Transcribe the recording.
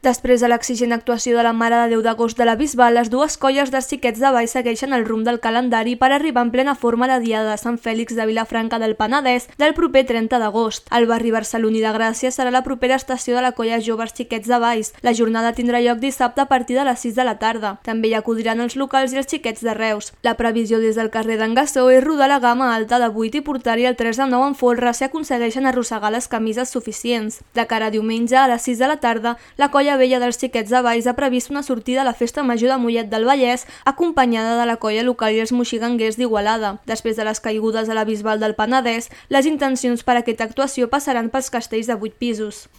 Després de l'exigent actuació de la Mare de Déu d'Agost de la Bisbal, les dues colles de xiquets de ball segueixen el rumb del calendari per arribar en plena forma a la Diada de Sant Fèlix de Vilafranca del Penedès del proper 30 d'agost. El barri barceloní de Gràcia serà la propera estació de la colla Joves Xiquets de Valls. La jornada tindrà lloc dissabte a partir de les 6 de la tarda. També hi acudiran els locals i els xiquets de Reus. La previsió des del carrer d'en Gassó és rodar la gamma alta de 8 i portar-hi el 3 de 9 en folre si aconsegueixen arrossegar les camises suficients. De cara a diumenge, a les 6 de la tarda, la colla vella dels xiquets de Valls ha previst una sortida a la Festa Major de Mollet del Vallès acompanyada de la colla local i els moxiganguers d'Igualada. Després de les caigudes a la Bisbal del Penedès, les intencions per a aquesta actuació passaran pels castells de 8 pisos.